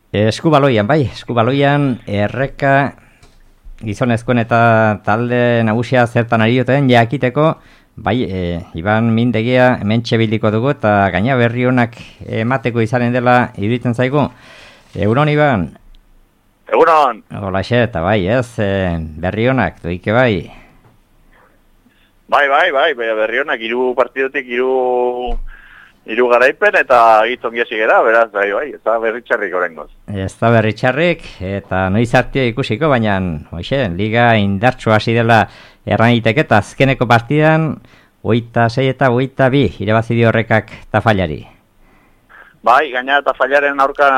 Eskubaloian, bai, eskubaloian erreka gizonezkoen eta talde nagusia zertan ari duten jakiteko, bai, Iban Mindegia hementxe bildiko dugu eta gaina berri honak emateko izanen dela iruditzen zaigu. Egunon, Iban? Egunon! Holaxe, eta bai, ez, berri honak, doike bai? Bai, berri honak, 3 partidotik 3 garaipen eta gitzongi hasi gara, beraz, bai, ez da berritxarrik orengoz. Ez da berritxarrik, eta noiz hartio ikusiko, baina, hoxe, liga indartsu hasi dela erraniteke, eta azkeneko partidan, 26 eta 22 irabazi dio Errekak Tafallari. Bai, gaina Tafallaren aurka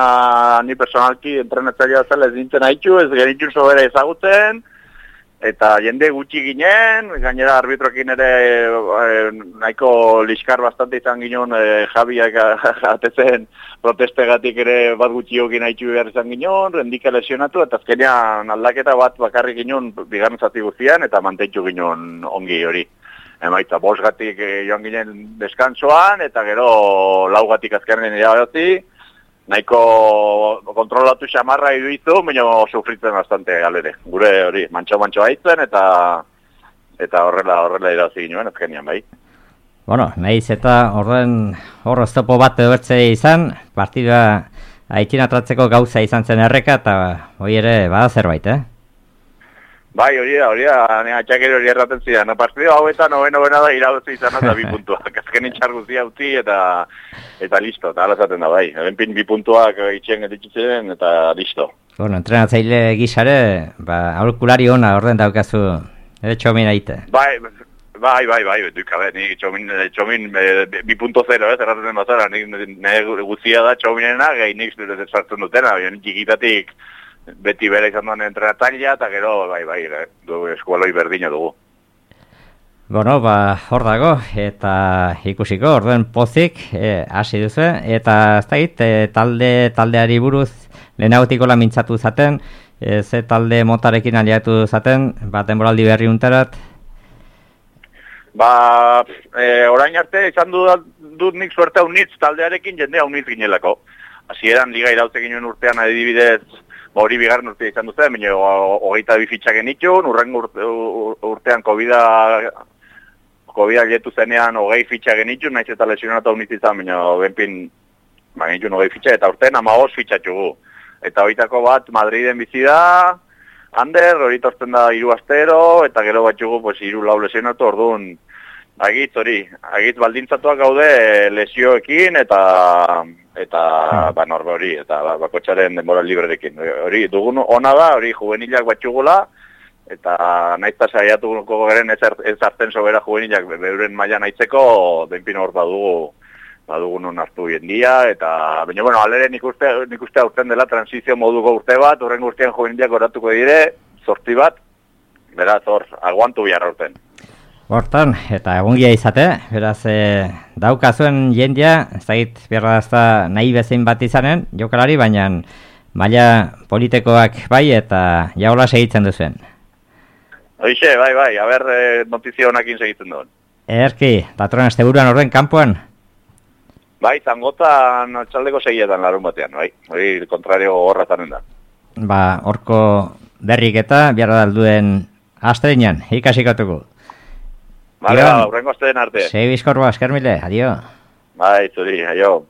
ni personalki entrenatzailea zela ez nintzen haitxu, ez genitxun sobera ezagutzen, eta jende gutxi ginen, gainera arbitroekin ere nahiko liskar bastante izan ginen, Javiak atezen protestegatik ere bat gutxiokin haitxu behar izan ginen, rendika lesionatu, eta azkenean aldaketa bat bakarrik ginen bigarren zati guztian, eta mantentxu ginen ongi hori. Emaitza, 5 joan ginen deskansoan, eta gero 4 azkenen irabazi, nahiko kontrolatu xamarra iduizu, baina sufritzen bastante galere. Gure hori, mantxo haitzen, eta horrela irabazi ginen, azkenean bai. Bueno, nahiz eta hor oztopo bat ebertze izan, partidua aitinatratzeko gauza izan zen Erreka, eta hori ere bada zerbait, Bai, hori da, atxakero hori erraten zidan. Partido hauetan, novena da irabazi izan eta 2 puntuak. Azkenin txarguzia utzi eta listo, eta alazaten da, bai. Ebenpin 2 puntuak itxen dituzien eta listo. Bueno, entrenatzaile gizare, aurkulari ona orden daukazu, Txomin aite. Bai, dukabe, ni Txomin 2.0, erraten bazara, nire guzia da Txominena, nik sartzen dutena, txikitatik beti bera izan duen entrenatzailea, eta gero, eskualoi berdina dugu. Bueno, hor dago, eta ikusiko, orduen pozik, hasi duzu, eta ez da hit, taldeari buruz, lehenagotiko mintzatu zaten, ze talde motarekin aliatu zaten, denboraldi berri untarat? Orain arte, izan dut nik suerte haunitz taldearekin jende haunitz ginelako. Hasieran liga irautze ginen urtean adibidez, hori bigarren urtea izan duzen, baina 22 fitxak genitxun, urrengo urtean COVID letu zenean 20 fitxak genitxun, naiz eta lesionatu haunitz izan, baina benpin genitxun 20 fitxak, eta urtean 15 fitxatxugu. Eta horitako bat Madriden bizi da, Ander, hori tortzen da 3 astero, eta gero batxugu 3-4 lesionatu, orduan, agitz baldintzatuak gaude lesioekin, eta norbe hori, eta bakotxaren denbora librerekin. Hori dugun ona da, hori juvenilak batxugula, eta naizta saiatuko garen ez hartzen sobera juvenilak beuren mailan aitzeko, benpin hor badugu non hartu jendia, eta baina, alere nik uste aurten dela transizio moduko urte bat, horren guztian juvenilak oratuko dire, 8 bat, beraz hor, aguantu bihar aurten. Hortan, eta egungia izate, beraz, daukazuen jendia, ez dakit behar da nahi bezein bat izanen, jokalari, baina maila politekoak bai, eta jaola segitzen duzuen. Hoixe, bai, haber notizio honakin segitzen duen. Erki, datorren asteburuan orden kanpoan? Bai, zangotan txaldeko segietan larun batean, bai. Hori kontrario horra zanen da. Horko berrik eta behar dalduen astreinan, ikasikatuko. Vale, urrengo asteen arte. Sei bizkorba, eskermile, adio. Bai, zuri, aio.